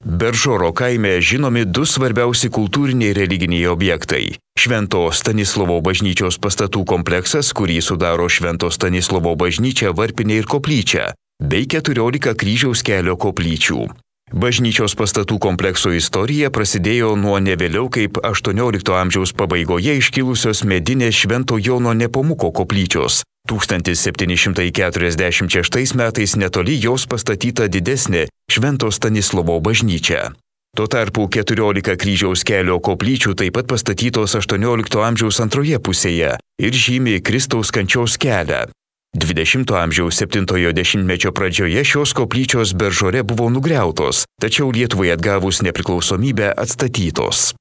Beržoro kaime žinomi du svarbiausi kultūriniai religiniai objektai. Švento Stanislovo bažnyčios pastatų kompleksas, kurį sudaro Švento Stanislovo bažnyčia, varpinė ir koplyčia, bei 14 kryžiaus kelio koplyčių. Bažnyčios pastatų komplekso istorija prasidėjo nuo ne vėliau kaip 18 amžiaus pabaigoje iškilusios medinės Švento Jono Nepomuko koplyčios. 1746 metais netoli jos pastatyta didesnė Švento Stanislovo bažnyčia. Tuo tarpu 14 kryžiaus kelio koplyčių taip pat pastatytos 18 amžiaus antroje pusėje ir žymi Kristaus kančios kelią. 20 amžiaus 7-ojo dešimtmečio pradžioje šios koplyčios Beržore buvo nugriautos, tačiau Lietuvai atgavus nepriklausomybę atstatytos.